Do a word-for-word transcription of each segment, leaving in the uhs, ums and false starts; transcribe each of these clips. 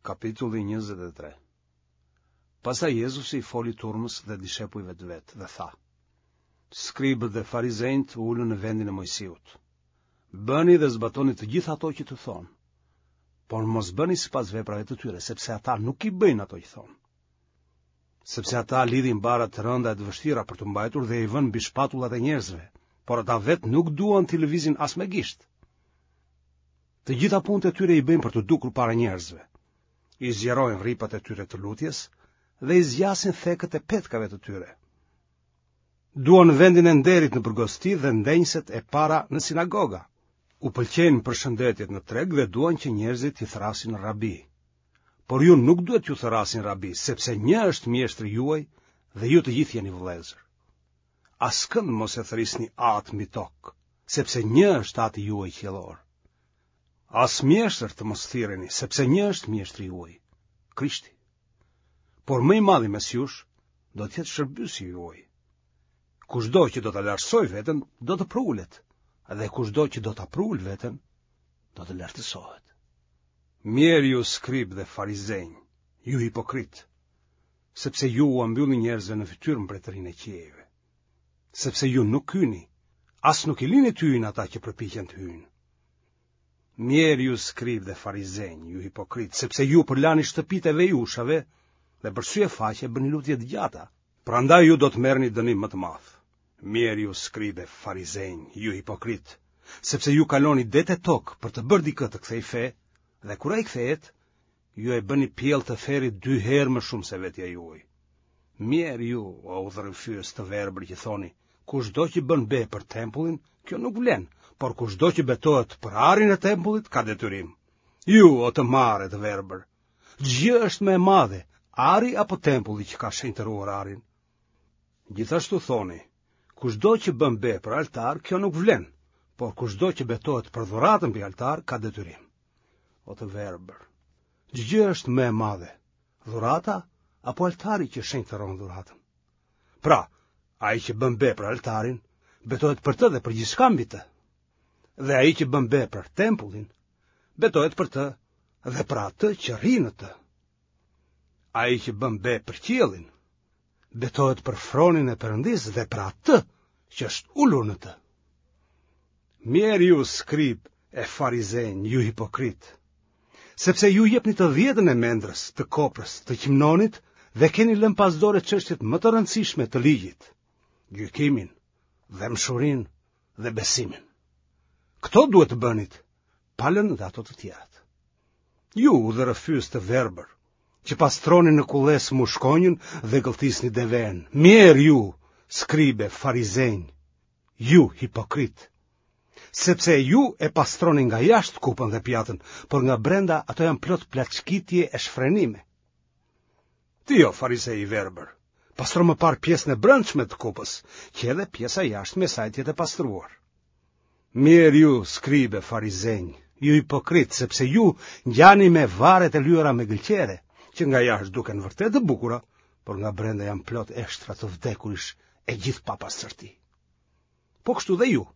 Kapitulli njëzet e tre. Pastaj Jezusi i foli turmës dhe dishepujve të vet dhe tha: Skribët dhe farizenjtë u ulën në vendin e Moisiut. Bëni dhe zbatoni të gjitha ato që t'ju thonë, por mos bëni sipas veprave të tyre, sepse ata nuk i bëjnë ato që thonë. Sepse ata lidhin barra të rënda e të vështira për t'u mbajtur dhe i vënë mbi shpatullat e njerëzve, por ata vetë nuk duan t'i lëvizin as me gisht. Të gjitha punët e tyre i bëjnë për t'u dukur para njerëzve. I zgjerojnë rripat e tyre të lutjes dhe i zgjasin thekët e petkave të tyre. Duan vendin e nderit nëpër gosti dhe ndenjëset e para në sinagoga. U pëlqejnë përshëndetjet në treg dhe duan që njerëzit t'i thërrasin rabi. Por ju nuk duhet t'ju thërrasin rabi, sepse një është mjeshtri juaj dhe ju të gjithë jeni vëllezër. Askënd mos e thërrisni atë mbi tokë, sepse një është ati juaj qiellor. As mjeshtër të mos thirreni, sepse një është mjeshtri juaj, Krishti. Por më i madhi mes jush do të jetë shërbyesi juaj. Kushdo që do ta lartësojë veten, do të prulet, dhe kushdo që do ta prulë veten, do të lartësohet. Mjerë ju skribë dhe farizenj, ju hipokritë, sepse ju ua mbyllni njerëzve në fytyrë mbretërinë e qiejve. Sepse ju nuk hyni, as nuk i lini të hyjnë ata që përpiqen të hyjnë. Mjerë ju skribë dhe farizenj, ju hipokritë, sepse ju përlani shtëpitë e vejushave dhe për sy e faqe bëni lutje të gjata. Prandaj ju do të merrni dënim më të madh. Mjerë ju skribë e farizenj, ju hipokritë, sepse ju kaloni det e tokë për të bërë dikë të kthejë fe, dhe kur ai kthehet, ju e bëni pjellë të ferrit dy herë më shumë se vetja juaj. Mjerë ju, o udhërrëfyes të verbër që thoni, kushdo që bën be për tempullin, kjo nuk vlen, por kushdo që betohet për arin e tempullit ka detyrim. Ju, o të marrë e të verbër, ç'gjë është më e madhe, ari apo tempulli që ka shenjtëruar arin? Gjithashtu thoni, kushdo që bën be për altar, kjo nuk vlen, por kushdo që betohet për dhuratën mbi altar ka detyrim. O të verbër, ç'gjë është më e madhe, dhurata apo altari që shenjtëron dhuratën? Pra, ai që bën be për altarin, betohet për të dhe për gjithçka mbi të. Dhe ai që bën be për tempullin, betohet për të dhe për atë që rri në të. Ai që bën be për qiellin, betohet për fronin e Perëndisë dhe për atë që është ulur në të. Mjerë ju skribë e farizenj, ju hipokritë, sepse ju jepni të dhjetën e mendrës, të koprës, të qimnonit dhe keni lënë pas dore çështjet më të rëndësishme të ligjit, gjykimin, dhembshurinë dhe besimin. Këto duhet të bënit, pa lënë dhe ato të tjerat. Ju udhërrëfyes të verbër, që pastroni në kullesë mushkonjën dhe gëlltisni deven. Mjerë ju, skribe, farizenj, ju hipokritë, sepse ju e pastroni nga jashtë kupën dhe pjatën, por nga brenda ato janë plot plaçkitje e shfrenime. Ti o farizej i verbër, pastro më parë pjesën e brendshme të kupës, që edhe pjesa e jashtme e saj të jetë e pastruar. Mjerë ju, skribe, farizenj, ju hipokritë, sepse ju ngjani me varret e lyera me gëlqere, që nga jashtë duken vërtet të bukura, por nga brenda janë plot eshtra të vdekurish e gjithë papastërti. Po kështu dhe ju,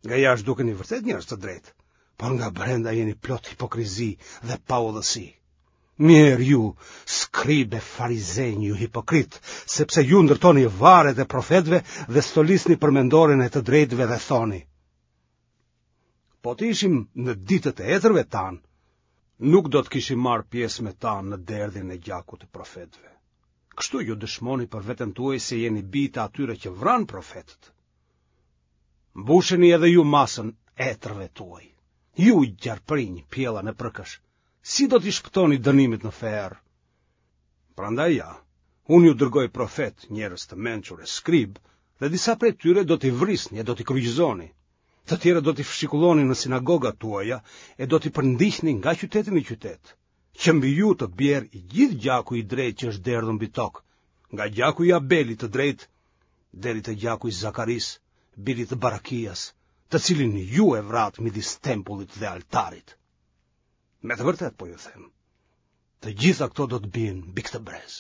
nga jashtë dukeni vërtet njerëz të drejtë, por nga brenda jeni plot hipokrizi dhe paudhësi. Mjerë ju, skribe, farizenj, ju hipokritë, sepse ju ndërtoni varret e profetëve dhe stolisni përmendoren e të drejtëve dhe thoni: Po të ishim në ditët e etërve tanë, nuk do të kishim marrë pjesë me ta në derdhjen e gjakut të profetëve. Kështu ju dëshmoni për veten tuaj se jeni bijë të atyre që vranë profetët. Mbusheni edhe ju masën etërve tuaj. Ju gjarprinj, pjella në përkësh, si do t'i shpëtoni dënimit në ferr? Prandaj ja, unë ju dërgoj profet, njerëz të mençur e skrib, dhe disa prej tyre do t'i vrisni e do t'i kryqëzoni. Të tjerë do t'i fshikulloni në sinagogat tuaja e do t'i përndiqni nga qyteti në qytet, që mbi ju të bjerë i gjithë gjaku i drejtë që është derdhur mbi tokë, nga gjaku i Abelit të drejtë deri te gjaku i Zakarisë, birit të Barakias, të cilin ju e vratë midis tempullit dhe altarit. Me të vërtetë po ju them, të gjitha këto do të bien mbi këtë brez.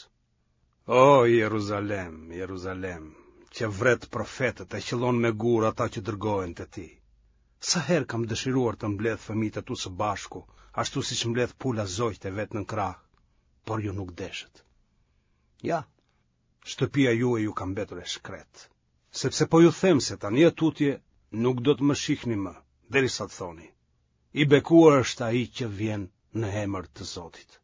O Jeruzalem, Jeruzalem, që vret profetët e qëllon me gur ata që dërgohen te ti. Sa herë kam dëshiruar të mbledh fëmijët e tu së bashku, ashtu siç mbledh pula zogjtë e vet në krah, por ju nuk deshët. Ja, shtëpia juaj ju ka mbetur e shkretë, sepse po ju them se tani e tutje nuk do të më shihni më, derisa të thoni, i bekuar është ai që vjen në emër të Zotit.